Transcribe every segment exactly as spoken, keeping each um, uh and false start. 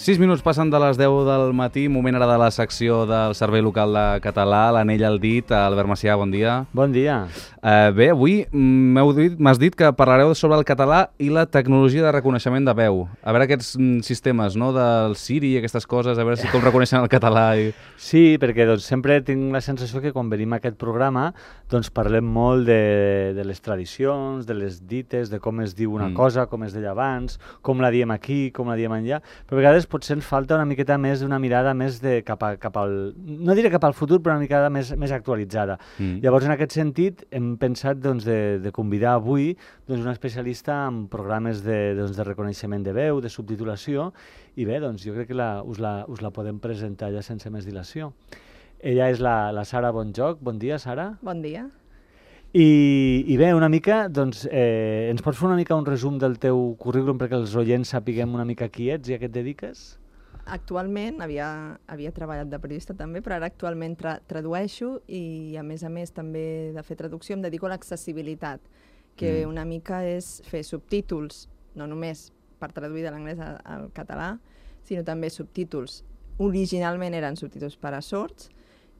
sis minuts passen de les deu del matí, moment ara de la secció del Servei Local de Català, l'anell al dit. Albert Macià, bon dia. Bon dia. Uh, bé, avui m'heu dit, m'has dit que parlareu sobre el català i la tecnologia de reconeixement de veu. A veure aquests sistemes, no?, del Siri i aquestes coses, a veure si com reconeixen el català. I... Sí, perquè doncs, sempre tinc la sensació que quan venim a aquest programa doncs, parlem molt de, de les tradicions, de les dites, de com es diu una mm. cosa, com es deia abans, com la diem aquí, com la diem enllà, però a vegades potser ens falta una miqueta més d'una mirada més de cap, a, cap al... no diré cap al futur, però una miqueta més, més actualitzada. Mm. Llavors, en aquest sentit, hem pensat doncs, de, de convidar avui doncs, una especialista en programes de, doncs, de reconeixement de veu, de subtitulació, i bé, doncs, jo crec que la, us, la, us la podem presentar ja sense més dilació. Ella és la, la Sara Bonjoc. Bon dia, Sara. Bon dia. I, i bé, una mica, doncs, eh, ens pots fer una mica un resum del teu currículum perquè els oients sapiguem una mica qui ets i a què et dediques? Actualment, havia, havia treballat de periodista també, però ara actualment tra tradueixo i a més a més també de fer traducció em dedico a l'accessibilitat, que mm. una mica és fer subtítols, no només per traduir de l'anglès al, al català, sinó també subtítols. Originalment eren subtítols per a sords,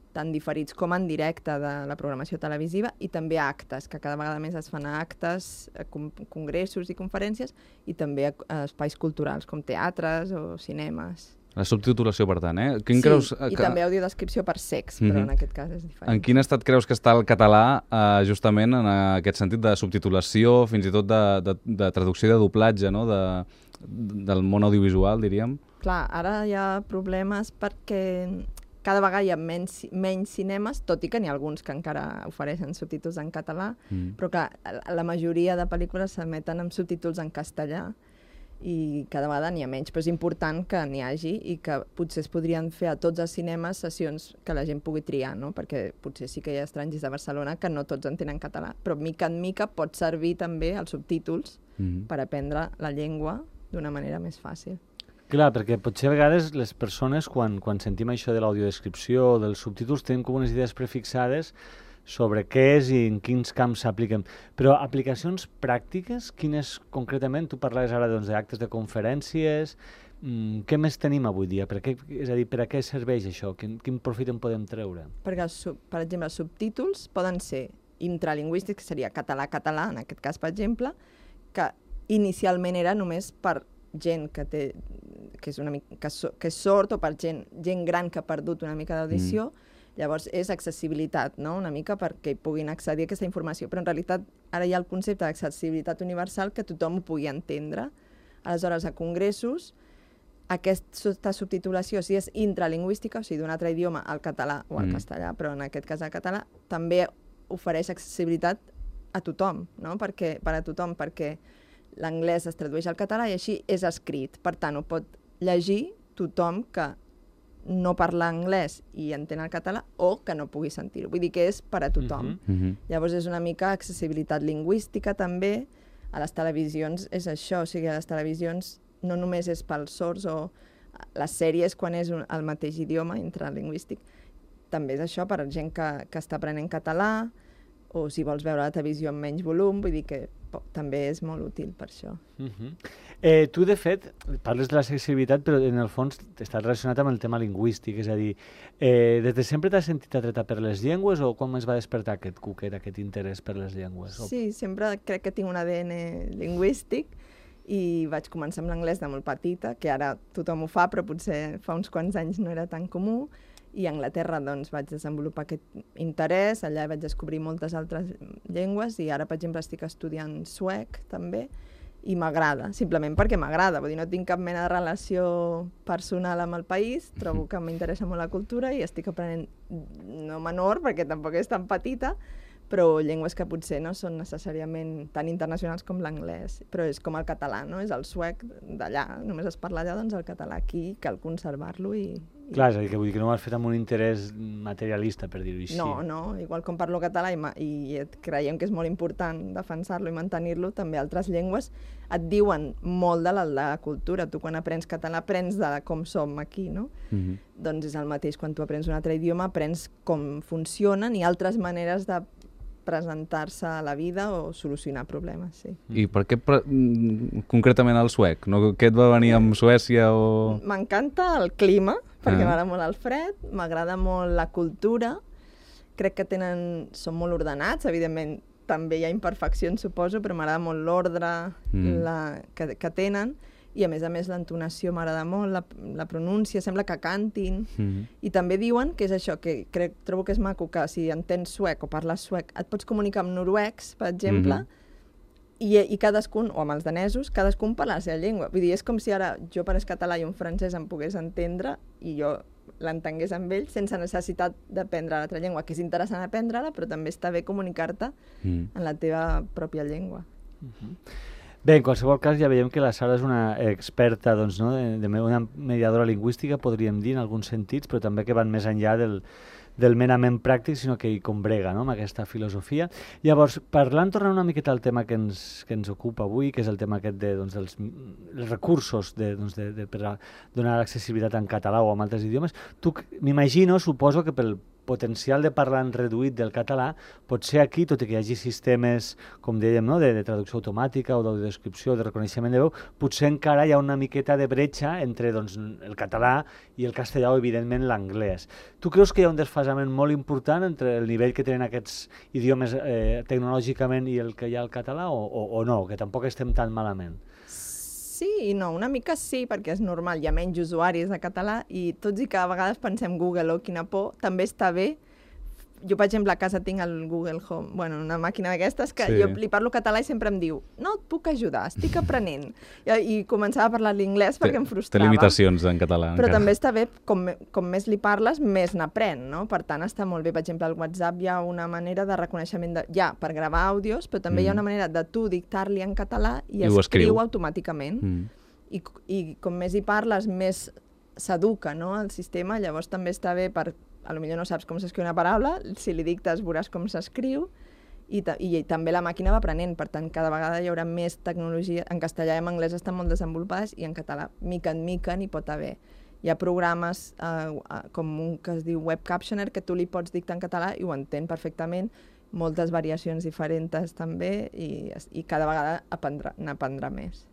tant diferits com en directe de la programació televisiva, i també actes, que cada vegada més es fan a actes, a congressos i conferències, i també a espais culturals, com teatres o cinemes. La subtitulació, per tant, eh? Quin sí, creus, i que... també audiodescripció per sex, mm-hmm. però en aquest cas és diferent. En quin estat creus que està el català eh, justament en aquest sentit de subtitulació, fins i tot de, de, de traducció i de doblatge, no?, de, del món audiovisual, diríem? Clar, ara hi ha problemes perquè cada vegada hi ha menys, menys cinemes, tot i que n'hi ha alguns que encara ofereixen subtítols en català, mm. però clar, la majoria de pel·lícules s'emeten amb subtítols en castellà i cada vegada n'hi ha menys, però és important que n'hi hagi i que potser es podrien fer a tots els cinemes sessions que la gent pugui triar, no? Perquè potser sí que hi ha estrangers de Barcelona que no tots entenen català, però mica en mica pot servir també els subtítols mm. per aprendre la llengua d'una manera més fàcil. Clar, perquè potser a vegades les persones, quan, quan sentim això de l'audiodescripció o dels subtítols, tenim com unes idees prefixades sobre què és i en quins camps s'apliquen. Però aplicacions pràctiques, quines concretament? Tu parlaves ara doncs, d'actes de conferències. Mm, què més tenim avui dia? Per què, és a dir, per a què serveix això? Quin, quin profit en podem treure? Perquè, per exemple, els subtítols poden ser intralingüístics, que seria català-català, en aquest cas, per exemple, que inicialment era només per gent que té que és, una mica, que, so, que és sord o per gent, gent gran que ha perdut una mica d'audició, mm. llavors és accessibilitat, no?, una mica perquè puguin accedir a aquesta informació, però en realitat ara hi ha el concepte d'accessibilitat universal que tothom ho pugui entendre. Aleshores, a congressos, aquesta subtitulació, si és intralingüística, o sigui, d'un altre idioma al català o al mm. castellà, però en aquest cas al català, també ofereix accessibilitat a tothom, no?, perquè, per a tothom, perquè l'anglès es tradueix al català i així és escrit. Per tant, ho pot llegir tothom que no parla anglès i entén el català o que no pugui sentir-ho. Vull dir que és per a tothom. Mm-hmm. Llavors és una mica accessibilitat lingüística també. A les televisions és això, o sigui, a les televisions no només és pels sords o les sèries quan és un, el mateix idioma intralingüístic. També és això per a gent que, que està aprenent català o si vols veure la televisió amb menys volum, vull dir que també és molt útil per això. Uh-huh. eh, tu, de fet, parles de l'accessibilitat, però en el fons estàs relacionat amb el tema lingüístic, és a dir, eh, des de sempre t'has sentit atreta per les llengües o com es va despertar aquest cuquet, aquest interès per les llengües? Sí, sempre crec que tinc un A D N lingüístic i vaig començar amb l'anglès de molt petita, que ara tothom ho fa, però potser fa uns quants anys no era tan comú, i a Anglaterra doncs, vaig desenvolupar aquest interès, allà vaig descobrir moltes altres llengües i ara, per exemple, estic estudiant suec també i m'agrada, simplement perquè m'agrada, vull dir, no tinc cap mena de relació personal amb el país, trobo que m'interessa molt la cultura i estic aprenent, no menor, perquè tampoc és tan petita, però llengües que potser no són necessàriament tan internacionals com l'anglès, però és com el català, no? És el suec d'allà, només es parla allà, doncs el català aquí cal conservar-lo i... i... Clar, és a dir, que vull dir que no ho has fet amb un interès materialista, per dir-ho així. No, no, igual com parlo català i, i creiem que és molt important defensar-lo i mantenir-lo, també altres llengües et diuen molt de la, de la cultura. Tu quan aprens català aprens de com som aquí, no? Mm-hmm. Doncs és el mateix, quan tu aprens un altre idioma aprens com funcionen i altres maneres de presentar-se a la vida o solucionar problemes, sí. I per què pre concretament el suec? No, què et va venir amb Suècia o...? M'encanta el clima, perquè Ah. m'agrada molt el fred, m'agrada molt la cultura, crec que tenen, són molt ordenats, evidentment també hi ha imperfeccions, suposo, però m'agrada molt l'ordre Mm. la, que, que tenen, i a més a més l'entonació m'agrada molt, la, la pronúncia, sembla que cantin, Mm. i també diuen que és això, que crec, trobo que és maco, que si entens suec o parles suec, et pots comunicar amb noruecs, per exemple, Mhm. i, i cadascun, o amb els danesos, cadascun parla la seva llengua. Vull dir, és com si ara jo parés català i un francès em pogués entendre i jo l'entengués amb ell sense necessitat d'aprendre l'altra llengua, que és interessant aprendre-la, però també està bé comunicar-te Mm. en la teva pròpia llengua. Bé, en qualsevol cas ja veiem que la Sara és una experta, doncs, no? de, de una mediadora lingüística, podríem dir, en alguns sentits, però també que van més enllà del, del merament pràctic, sinó que hi combrega, no?, amb aquesta filosofia. Llavors, parlant, tornant una miqueta al tema que ens, que ens ocupa avui, que és el tema aquest de, doncs, dels els recursos de, doncs, de, de, per a donar accessibilitat en català o en altres idiomes, tu m'imagino, suposo que pel potencial de parlant reduït del català, potser aquí, tot i que hi hagi sistemes, com dèiem, no?, de, de traducció automàtica o d'audiodescripció, de reconeixement de veu, potser encara hi ha una miqueta de bretxa entre, doncs, el català i el castellà o, evidentment, l'anglès. Tu creus que hi ha un desfasament molt important entre el nivell que tenen aquests idiomes eh, tecnològicament i el que hi ha al català o, o, o no, que tampoc estem tan malament? Sí i no, una mica sí, perquè és normal, hi ha menys usuaris de català i tots i que a vegades pensem Google o quina por, també està bé. Jo, per exemple, a casa tinc el Google Home, bueno, una màquina d'aquestes que Sí. jo li parlo català i sempre em diu no et puc ajudar, estic aprenent. I, i començava a parlar l'inglès perquè em Té frustrava. limitacions en català. Però encara. també està bé, com, me- com més li parles, més n'aprèn, no? Per tant, està molt bé. Per exemple, al WhatsApp hi ha una manera de reconeixement, de, ja, per gravar àudios, però també Mm. hi ha una manera de tu dictar-li en català i, I ho escriu. escriu automàticament. Mm. I, I com més hi parles, més s'educa, no?, el sistema. Llavors també està bé per... A lo millor no saps com s'escriu una paraula, si li dictes veuràs com s'escriu, i, ta i també la màquina va aprenent, per tant, cada vegada hi haurà més tecnologia. En castellà i en anglès estan molt desenvolupades i en català, mica en mica, n'hi pot haver. Hi ha programes eh, com un que es diu Web Captioner, que tu li pots dictar en català i ho entén perfectament, moltes variacions diferents també, i, i cada vegada n'aprendrà més.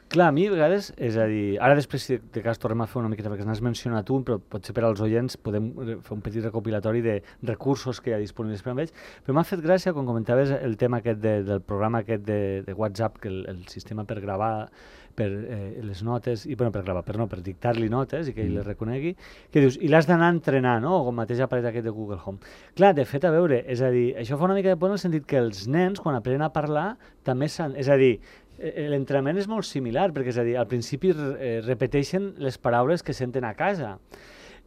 Clar, a mi a vegades, és a dir, ara després si de cas tornem a fer una miqueta, perquè n'has mencionat un, però potser per als oients podem fer un petit recopilatori de recursos que hi ha disponibles per a ells, però m'ha fet gràcia quan comentaves el tema aquest de, del programa aquest de, de WhatsApp, que el, el sistema per gravar per eh, les notes, i bueno, per gravar, per no, per dictar-li notes i que ell les reconegui, que dius, i l'has d'anar a entrenar, no?, o com mateix aparell aquest de Google Home. Clar, de fet, a veure, és a dir, això fa una mica de por en el sentit que els nens, quan aprenen a parlar, també s'han... És a dir, l'entrenament és molt similar, perquè és a dir, al principi eh, repeteixen les paraules que senten a casa.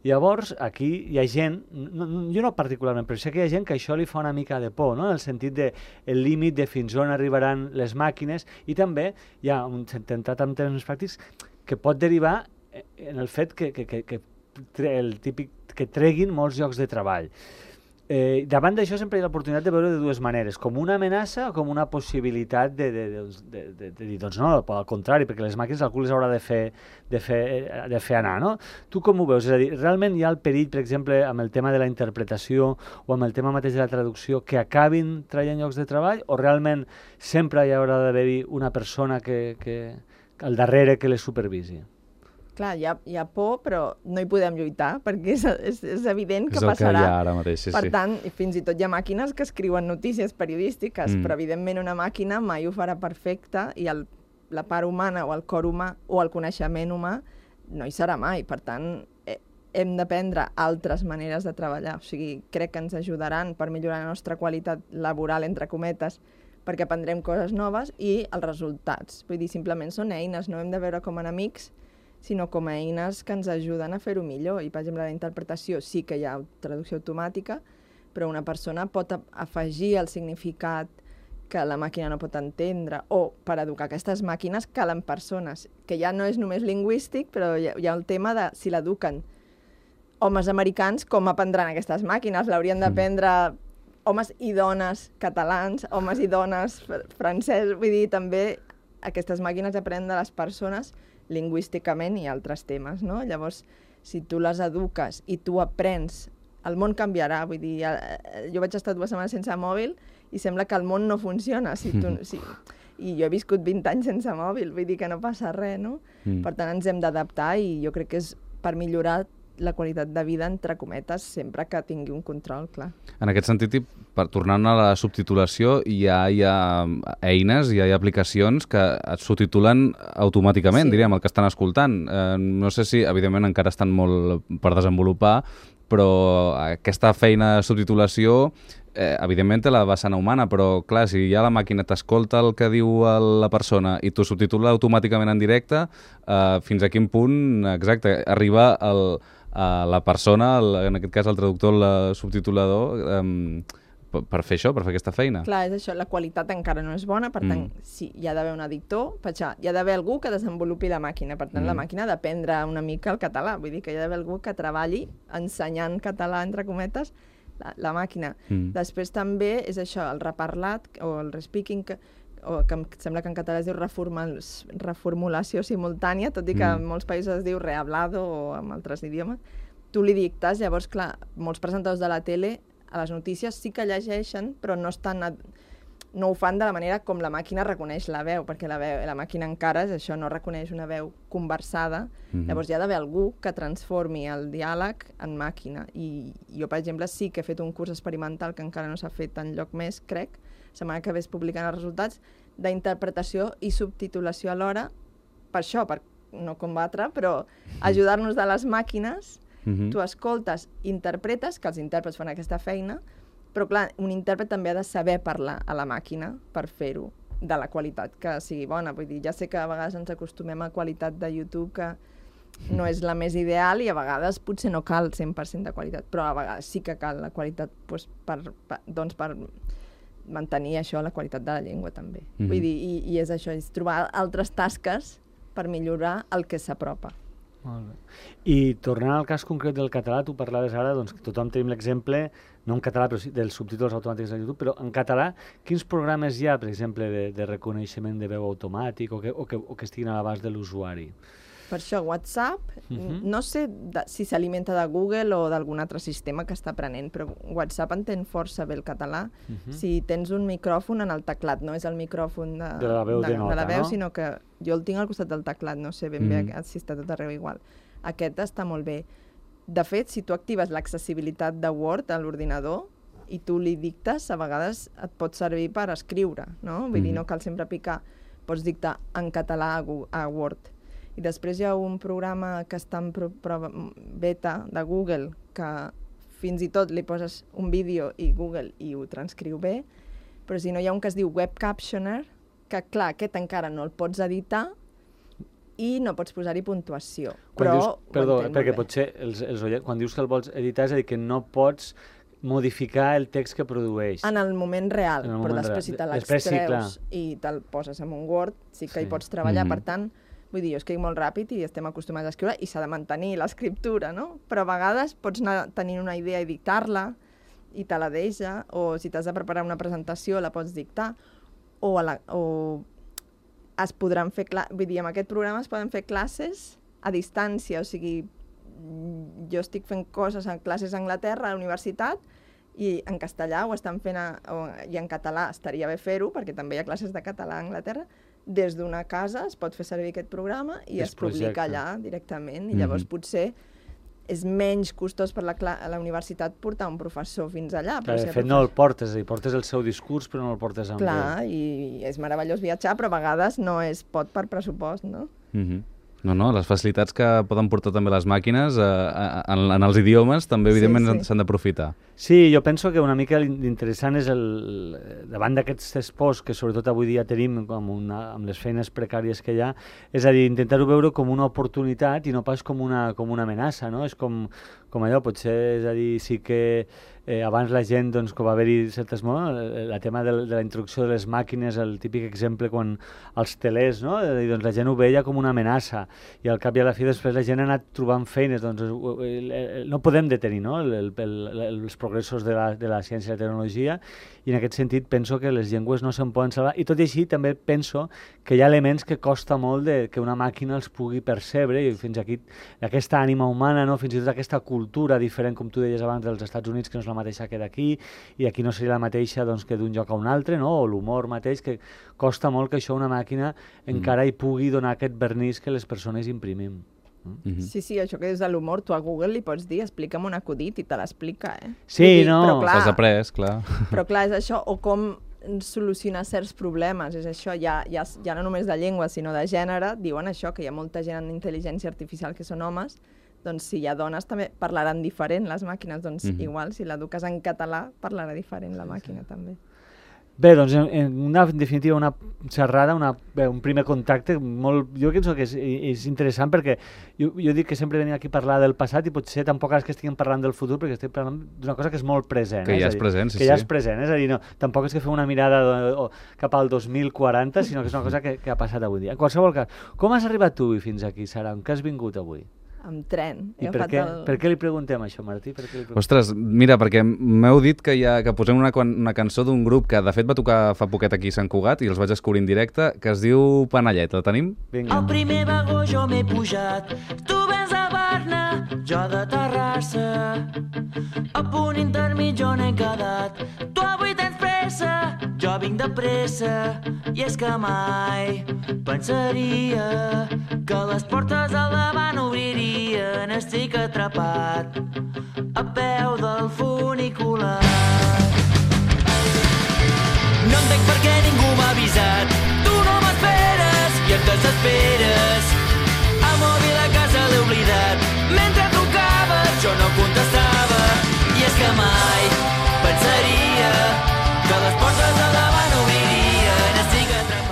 Llavors, aquí hi ha gent, no, no, jo no particularment, però sé que hi ha gent que això li fa una mica de por, no?, en el sentit de el límit de fins on arribaran les màquines, i també hi ha un tentat amb termes pràctics que pot derivar en el fet que, que, que, que el típic que treguin molts llocs de treball. Eh, davant d'això sempre hi ha l'oportunitat de veure de dues maneres, com una amenaça o com una possibilitat de, de, de, de, de, de dir, doncs no, al contrari, perquè les màquines algú les haurà de fer, de fer, de fer anar, no? Tu com ho veus? És a dir, realment hi ha el perill, per exemple, amb el tema de la interpretació o amb el tema mateix de la traducció, que acabin traient llocs de treball, o realment sempre hi haurà d'haver-hi una persona que, que, al darrere que les supervisi? Clar, hi ha, hi ha por, però no hi podem lluitar, perquè és, és, és evident que és el passarà. que hi ha ara mateix, sí, per sí. tant, fins i tot hi ha màquines que escriuen notícies periodístiques, Mm. però evidentment una màquina mai ho farà perfecte i el, la part humana o el cor humà o el coneixement humà no hi serà mai. Per tant, eh, hem d'aprendre altres maneres de treballar. O sigui, crec que ens ajudaran per millorar la nostra qualitat laboral, entre cometes, perquè aprendrem coses noves i els resultats. Vull dir, simplement són eines, no hem de veure com enemics, sinó com a eines que ens ajuden a fer-ho millor. I, per exemple, la interpretació sí que hi ha traducció automàtica, però una persona pot afegir el significat que la màquina no pot entendre, o per educar aquestes màquines calen persones, que ja no és només lingüístic, però hi ha, hi ha el tema de si l'eduquen homes americans, com aprendran aquestes màquines? L'haurien d'aprendre homes i dones catalans, homes i dones fr francesos, vull dir, també aquestes màquines aprenen de les persones lingüísticament i altres temes, no? Llavors, si tu les eduques i tu aprens el món canviarà, vull dir, jo vaig estar dues setmanes sense mòbil i sembla que el món no funciona. Si tu, si, I jo he viscut vint anys sense mòbil, vull dir que no passa res, no? Mm. Per tant, ens hem d'adaptar i jo crec que és per millorar la qualitat de vida, entre cometes, sempre que tingui un control, clar. En aquest sentit, i per tornar a la subtitulació, ja hi ha eines, ja hi ha aplicacions que et subtitulen automàticament, sí. diríem, el que estan escoltant. Eh, no sé si, evidentment, encara estan molt per desenvolupar, però aquesta feina de subtitulació, eh, evidentment, té la vessant humana, però, clar, si ja la màquina t'escolta el que diu la persona i t'ho subtitula automàticament en directe, eh, fins a quin punt, exacte, arriba el... a la persona, el, en aquest cas el traductor, el subtitulador, um, per, per fer això, per fer aquesta feina. Clar, és això, la qualitat encara no és bona, per tant, mm. sí, hi ha d'haver un editor, per això, hi ha d'haver algú que desenvolupi la màquina, per tant, mm. la màquina ha d'aprendre una mica el català, vull dir que hi ha d'haver algú que treballi ensenyant català, entre cometes, la, la màquina. Mm. Després també és això, el reparlat o el respeaking, que o que em sembla que en català es diu reformul reformulació simultània, tot i que mm. en molts països es diu rehablado o en altres idiomes. Tu li dictes, llavors, clar, molts presentadors de la tele a les notícies sí que llegeixen, però no estan a... no ho fan de la manera com la màquina reconeix la veu, perquè la, veu, la màquina encara és això, no reconeix una veu conversada. Mm-hmm. Llavors hi ha d'haver algú que transformi el diàleg en màquina. I jo, per exemple, sí que he fet un curs experimental que encara no s'ha fet enlloc més, crec, setmana que ve es publiquen els resultats, d'interpretació i subtitulació alhora, per això, per no combatre, però ajudar-nos de les màquines, mm-hmm. tu escoltes, interpretes, que els intèrprets fan aquesta feina, però clar, un intèrpret també ha de saber parlar a la màquina per fer-ho de la qualitat que sigui bona. Vull dir, ja sé que a vegades ens acostumem a qualitat de YouTube que no és la més ideal i a vegades potser no cal cent per cent de qualitat, però a vegades sí que cal la qualitat doncs, per, per, doncs, per mantenir això, la qualitat de la llengua també. Mm-hmm. Vull dir, i, i és això, és trobar altres tasques per millorar el que s'apropa. Molt bé. I tornant al cas concret del català, tu parlaves ara, doncs que tothom tenim l'exemple, no en català, però sí dels subtítols automàtics de YouTube, però en català, quins programes hi ha, per exemple, de, de reconeixement de veu automàtic o que, o que, o que estiguin a l'abast de l'usuari? Per això, WhatsApp, uh-huh. no sé de, si s'alimenta de Google o d'algun altre sistema que està aprenent, però WhatsApp entén força bé el català. Uh-huh. Si tens un micròfon en el teclat, no és el micròfon de, de la veu, de, de nota, de la veu no? Sinó que jo el tinc al costat del teclat, no sé ben uh-huh. bé si està tot arreu igual. Aquest està molt bé. De fet, si tu actives l'accessibilitat de Word a l'ordinador i tu li dictes, a vegades et pot servir per escriure, no? Vull uh-huh. dir, no cal sempre picar, pots dictar en català a, a Word. I després hi ha un programa que està en prova beta de Google que fins i tot li poses un vídeo i Google i ho transcriu bé, però si no hi ha un que es diu Web Captioner, que clar, aquest encara no el pots editar i no pots posar-hi puntuació. Quan però dius, perdó, perquè potser els, els oients, quan dius que el vols editar és a dir que no pots modificar el text que produeix. En el moment real, el però moment després real. si te l'extreus sí, i te'l poses en un Word, sí que sí. hi pots treballar, mm-hmm. per tant, vull dir, jo escric molt ràpid i estem acostumats a escriure i s'ha de mantenir l'escriptura, no? Però a vegades pots anar tenint una idea i dictar-la i te la deixa, o si t'has de preparar una presentació la pots dictar, o, a la, o es podran fer, vull dir, amb aquest programa es poden fer classes a distància, o sigui, jo estic fent coses en classes a Anglaterra, a la universitat, i en castellà ho estan fent, a, o, i en català estaria bé fer-ho, perquè també hi ha classes de català a Anglaterra, des d'una casa es pot fer servir aquest programa i es, es publica allà directament, i llavors mm-hmm. potser és menys costós per la, la universitat portar un professor fins allà. Clar, de fet, no el portes, i portes el seu discurs, però no el portes amb ell. Clar, i és meravellós viatjar, però a vegades no es pot per pressupost, no? Mm-hmm. No, no, les facilitats que poden portar també les màquines eh, en, en els idiomes també, evidentment, s'han sí, sí. d'aprofitar. Sí, jo penso que una mica l'interessant és el, davant d'aquests esports que sobretot avui dia tenim com una, amb les feines precàries que hi ha, és a dir, intentar-ho veure com una oportunitat i no pas com una, com una amenaça, no? És com, com allò, potser, és a dir, sí que eh, abans la gent, doncs, com va haver-hi certes... No? El tema de, de la introducció de les màquines, el típic exemple quan els telers, no? I, doncs, la gent ho veia com una amenaça i al cap i a la fi després la gent ha anat trobant feines, doncs no podem detenir, no? El, el, el, els programes progressos de la, de la ciència i la tecnologia, i en aquest sentit penso que les llengües no se'n poden salvar, i tot i així també penso que hi ha elements que costa molt de, que una màquina els pugui percebre, i fins aquí aquesta ànima humana, no? Fins i tot aquesta cultura diferent, com tu deies abans, dels Estats Units, que no és la mateixa que d'aquí, i aquí no seria la mateixa doncs, que d'un lloc a un altre, no? O l'humor mateix, que costa molt que això una màquina mm. encara hi pugui donar aquest vernís que les persones imprimim. Mm-hmm. Sí, sí, això que és de l'humor, tu a Google li pots dir explica'm un acudit i te l'explica, eh? Sí, dir, no? T'has après, clar. Però clar, és això, o com solucionar certs problemes, és això, ja, ja, ja no només de llengua, sinó de gènere, diuen això, que hi ha molta gent en intel·ligència artificial que són homes, doncs si hi ha dones també parlaran diferent les màquines, doncs mm-hmm. igual, si l'eduques en català, parlarà diferent la màquina sí, sí. també. Bé, doncs, en, una, en definitiva, una xerrada, una, bé, un primer contacte, molt, jo penso que és, és interessant perquè jo, jo dic que sempre venim aquí a parlar del passat i potser tampoc és que estiguem parlant del futur perquè estem parlant d'una cosa que és molt present. Que eh? ja és, és dir, present, sí, que ja sí. és present, és a dir, no, tampoc és que fem una mirada de, o, cap al dos mil quaranta, sinó que és una cosa que, que ha passat avui dia. En qualsevol cas, com has arribat tu fins aquí, Sara? On què has vingut avui? Amb tren. I per què, el... per què li preguntem això, Martí? Per què li Ostres, mira, perquè m'heu dit que, ha, que posem una, una cançó d'un grup que de fet va tocar fa poquet aquí a Sant Cugat i els vaig descobrir en directe, que es diu Panellet. La tenim? Vinga. Al primer vagó jo m'he pujat, tu vens a Barna, jo de Terrassa. A punt intermig on he quedat, tu avui tens pressa, jo vinc de pressa. I és que mai pensaria que les portes al davant obririen. Estic atrapat a peu del funicular. No entenc per què ningú m'ha avisat. Tu no m'esperes i et desesperes. El mòbil a casa l'he oblidat. Mentre trucaves jo no contestava. I és que mai pensaria que les portes al davant obririen. Estic atrapat.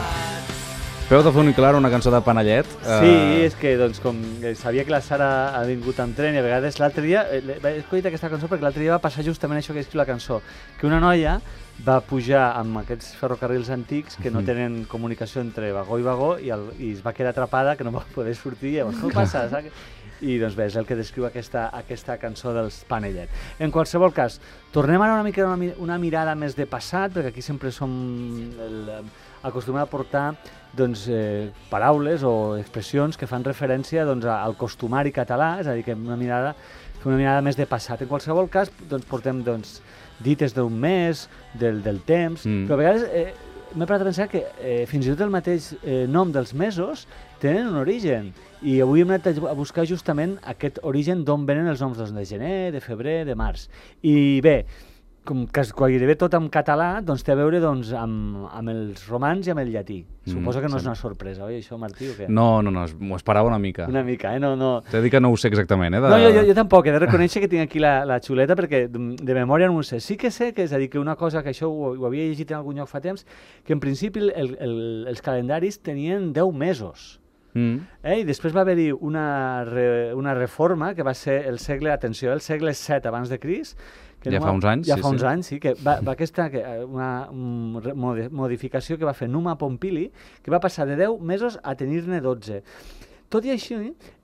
Peu de funicular, una cançó de Panellet. Sí, uh... és que doncs, com sabia que la Sara ha vingut amb tren i a vegades l'altre dia, he escollit aquesta cançó perquè l'altre dia va passar justament això que escriu la cançó, que una noia va pujar amb aquests ferrocarrils antics que no tenen comunicació entre vagó i vagó i, el, i es va quedar atrapada, que no va poder sortir, i llavors, què passa? Saps? I doncs bé, és el que descriu aquesta, aquesta cançó dels Panellet. En qualsevol cas, tornem ara una mica una, una mirada més de passat, perquè aquí sempre som el, acostumem a portar doncs, eh, paraules o expressions que fan referència doncs, al costumari català, és a dir, que una mirada, una mirada més de passat. En qualsevol cas, doncs, portem doncs, dites d'un mes, del, del temps, mm. però a vegades eh, m'he parat a pensar que eh, fins i tot el mateix eh, nom dels mesos tenen un origen. I avui hem anat a buscar justament aquest origen d'on venen els noms doncs, de gener, de febrer, de març. I bé, com que gairebé tot en català, doncs té a veure doncs, amb, amb els romans i amb el llatí. Mm, Suposo que no sí. és una sorpresa, oi, això, Martí, o què? No, no, no, m'ho esperava una mica. Una mica, eh? No, no... T'he dit que no ho sé exactament, eh? De... No, jo, jo, jo tampoc, he de reconèixer que tinc aquí la, la xuleta perquè de memòria no ho sé. Sí que sé que és a dir, que una cosa que això ho, ho havia llegit en algun lloc fa temps, que en principi el, el, els calendaris tenien deu mesos. Mm. Eh? I després va haver-hi una, re, una reforma que va ser el segle, atenció, el segle set abans de Crist, que ja Numa, fa uns anys, ja sí, fa uns sí. anys, sí, que va, va aquesta que, una um, modificació que va fer Numa Pompili, que va passar de deu mesos a tenir-ne dotze. Tot i així,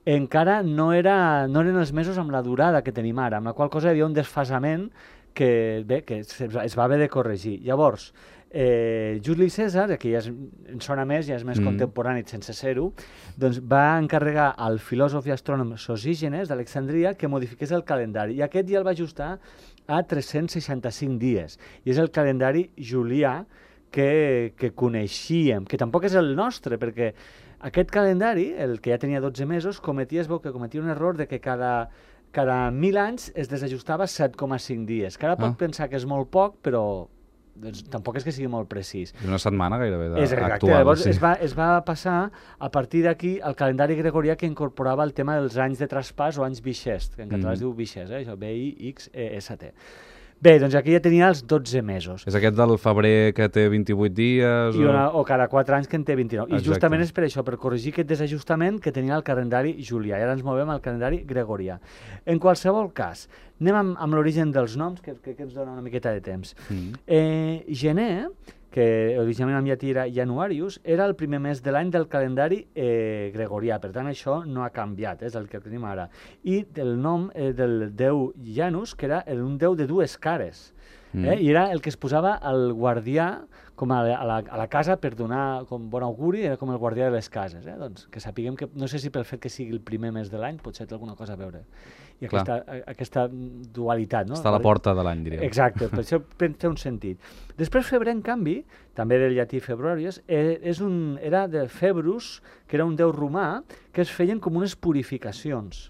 encara no, era, no eren els mesos amb la durada que tenim ara, amb la qual cosa hi havia un desfasament que, bé, que es, es va haver de corregir. Llavors, eh, Juli Cèsar, que ja és, en sona més, ja és més mm. contemporani sense ser-ho, doncs va encarregar al filòsof i astrònom Sosígenes d'Alexandria que modifiqués el calendari, i aquest ja el va ajustar a tres-cents seixanta-cinc dies, i és el calendari julià que, que coneixíem, que tampoc és el nostre, perquè aquest calendari, el que ja tenia dotze mesos, cometia, es veu que cometia un error de que cada, cada mil anys es desajustava set coma cinc dies, que ara pot ah. pensar que és molt poc, però doncs, tampoc és que sigui molt precís. És una setmana gairebé de, és exacte, actual. Llavors sí. es, va, es va passar a partir d'aquí al calendari gregorià que incorporava el tema dels anys de traspàs o anys bixest, que en català mm. es diu bixest, eh? Això, B I X E S T. Bé, doncs aquí ja tenia els dotze mesos. És aquest del febrer que té vint-i-vuit dies? I una, o cada quatre anys que en té vint-i-nou. Exacte. I justament és per això, per corregir aquest desajustament que tenia el calendari julià. I ara ens movem al calendari gregorià. En qualsevol cas, anem amb, amb l'origen dels noms, que crec que ens dona una miqueta de temps. Mm. Eh, gener, que originalment en llatí era Januarius, era el primer mes de l'any del calendari eh, gregorià. Per tant, això no ha canviat, és el que tenim ara. I el nom eh, del déu Janus, que era un déu de dues cares. Eh? Mm. I era el que es posava al guardià com a la, a, la, a la casa per donar com bon auguri, era com el guardià de les cases. Eh? Doncs que sapiguem que, no sé si pel fet que sigui el primer mes de l'any, potser té alguna cosa a veure. I aquesta, aquesta dualitat, no? Està a la porta de l'any, diríem. Exacte, per això té un sentit. Després febrer, en canvi, també del llatí februarius, eh, és un, era de Februs, que era un déu romà, que es feien com unes purificacions.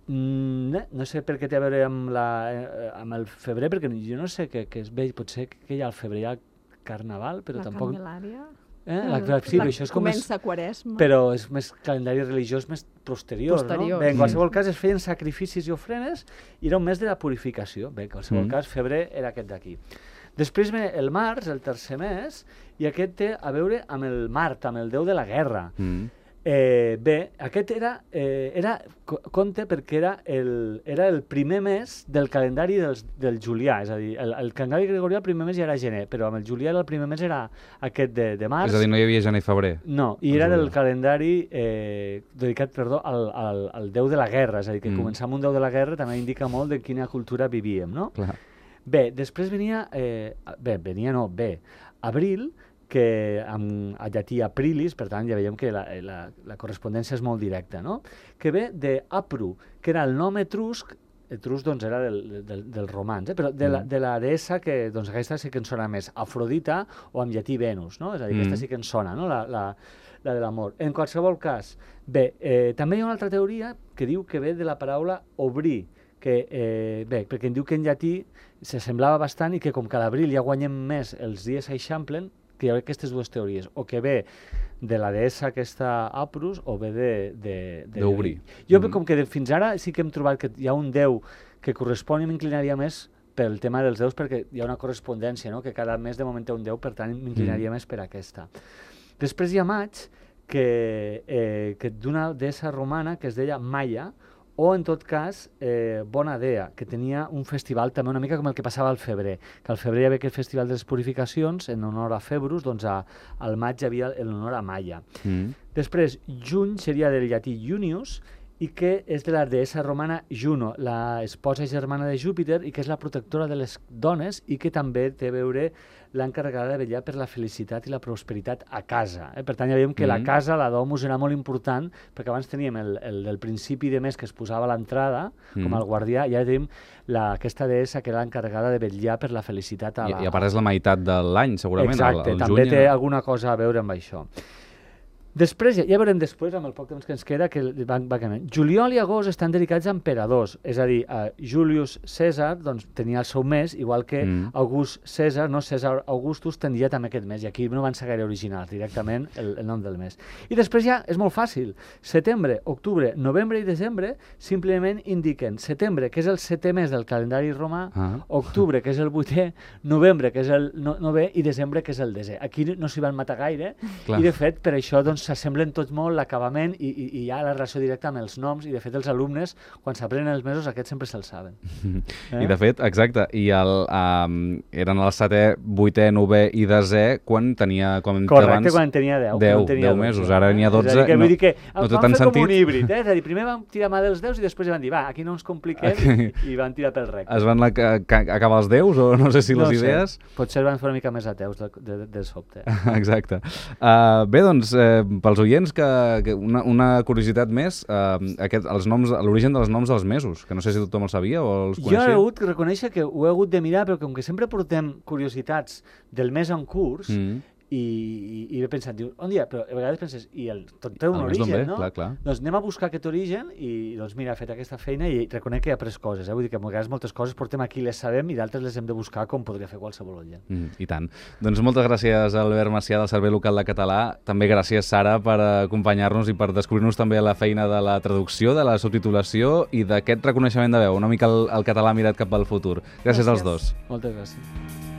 Mm, no sé per què té a veure amb, la, eh, amb el febrer, perquè jo no sé què es ve, potser que hi ha al febrer hi ha carnaval, però la tampoc... La Candelària? Eh? La, la, sí, la, això és com comença més, Quaresma. Però és més calendari religiós més posterior, posterior. No? Bé, en qualsevol mm. cas es feien sacrificis i ofrenes i era un mes de la purificació. Bé, en qualsevol mm. cas, febrer era aquest d'aquí. Després ve el març, el tercer mes, i aquest té a veure amb el Mart, amb el déu de la guerra. Mm. Eh, bé, aquest era, eh, era compte perquè era el, era el primer mes del calendari dels, del julià, és a dir, el, el calendari gregorià el primer mes ja era gener, però amb el julià el primer mes era aquest de, de març. És a dir, no hi havia gener i febrer. No, i era del calendari eh, dedicat, perdó, al, al, al déu de la guerra, és a dir, que mm. començar amb un déu de la guerra també indica molt de quina cultura vivíem, no? Clar. Bé, després venia, eh, bé, venia no, bé, abril, que amb, a llatí aprilis, per tant ja veiem que la, la, la correspondència és molt directa, no? Que ve d'Apru, que era el nom etrusc, etrusc doncs era del, del, dels romans, eh? Però de la, de la deessa que, doncs aquesta sí que ens sona més, Afrodita o en llatí Venus, no? És a dir, mm. aquesta sí que ens sona, no? La, la, la de l'amor. En qualsevol cas, bé, eh, també hi ha una altra teoria que diu que ve de la paraula obrir, que, eh, bé, perquè em diu que en llatí s'assemblava bastant i que com que a l'abril ja guanyem més, els dies s'eixamplen, que hi ha aquestes dues teories, o que ve de la deessa aquesta Aprus o ve de... d'obrir. Jo, mm. com que de, fins ara sí que hem trobat que hi ha un déu que correspon i m'inclinaria més pel tema dels déus, perquè hi ha una correspondència, no? Que cada mes de moment té un déu, per tant m'inclinaria mm. més per aquesta. Després hi ha maig, que, eh, que d'una deessa romana que es deia Maia, o, en tot cas, eh, Bonadea, que tenia un festival també una mica com el que passava al febrer, que al febrer hi havia aquest festival de les purificacions en honor a Februs, doncs a, al maig hi havia en honor a Maia. Mm. Després, juny seria del llatí Junius, i que és de la deessa romana Juno, la esposa germana de Júpiter, i que és la protectora de les dones i que també té a veure l'encarregada de vetllar per la felicitat i la prosperitat a casa. Eh? Per tant, ja veiem que mm. la casa, la domus, era molt important, perquè abans teníem el, el del principi de mes que es posava a l'entrada, mm. com el guardià, i ara tenim la, aquesta deessa que era l'encarregada de vetllar per la felicitat a la... I, i a part és la meitat de l'any, segurament. Exacte, el, el també juny... té alguna cosa a veure amb això. Després, ja, ja veurem després, amb el poc temps que ens queda, que van, va canviant. Juliol i agost estan dedicats a emperadors, és a dir, a Julius Cèsar doncs, tenia el seu mes, igual que mm. August Cèsar, no Cèsar Augustus, tenia també aquest mes, i aquí no van ser gaire originals, directament el, el nom del mes. I després ja és molt fàcil. Setembre, octubre, novembre i desembre simplement indiquen setembre, que és el setè mes del calendari romà, ah. octubre, que és el vuitè, novembre, que és el no, novè, i desembre, que és el desè. Aquí no s'hi van matar gaire, Clar. I de fet, per això, doncs, s'assemblen tots molt l'acabament i, i, i hi ha la relació directa amb els noms i de fet els alumnes quan s'aprenen els mesos aquests sempre se'ls saben. Eh? I de fet, exacte, i el, um, eren el setè, vuitè, novè i desè quan tenia... Quan Correcte, abans, quan tenia deu. deu, tenia deu mesos, ara n'hi ha dotze. És a dir, que no, vull dir que no té van tant fer sentit. Com un híbrid, eh? És a dir, primer vam tirar mà dels deus i després van dir, va, aquí no ens compliquem okay. i, i van tirar pel recte. Es van acabar els deus o no sé si no les sé. idees? Potser van fer una mica més ateus de, de, de sobte. Exacte. Uh, bé, doncs, eh, pels oients que que una, una curiositat més, eh, aquest, els noms, l'origen dels noms dels mesos, que no sé si tothom el sabia o els coneixia. Jo he hagut que reconèixer que ho he hagut de mirar, però com que sempre portem curiositats del mes en curs, mm. i, i, i he pensat, diu, on dia? Però a vegades penses, i el, tot té un el origen, bé, no? Clar, clar. Doncs anem a buscar aquest origen i doncs mira, he fet aquesta feina i reconec que he après coses, eh? Vull dir que a vegades moltes coses portem aquí les sabem i d'altres les hem de buscar com podria fer qualsevol oient. Mm, I tant. Doncs moltes gràcies Albert Macià del Servei Local de Català, també gràcies Sara per acompanyar-nos i per descobrir-nos també la feina de la traducció, de la subtitulació i d'aquest reconeixement de veu, una mica el, el català mirat cap al futur. Gràcies, gràcies. als dos. Moltes gràcies.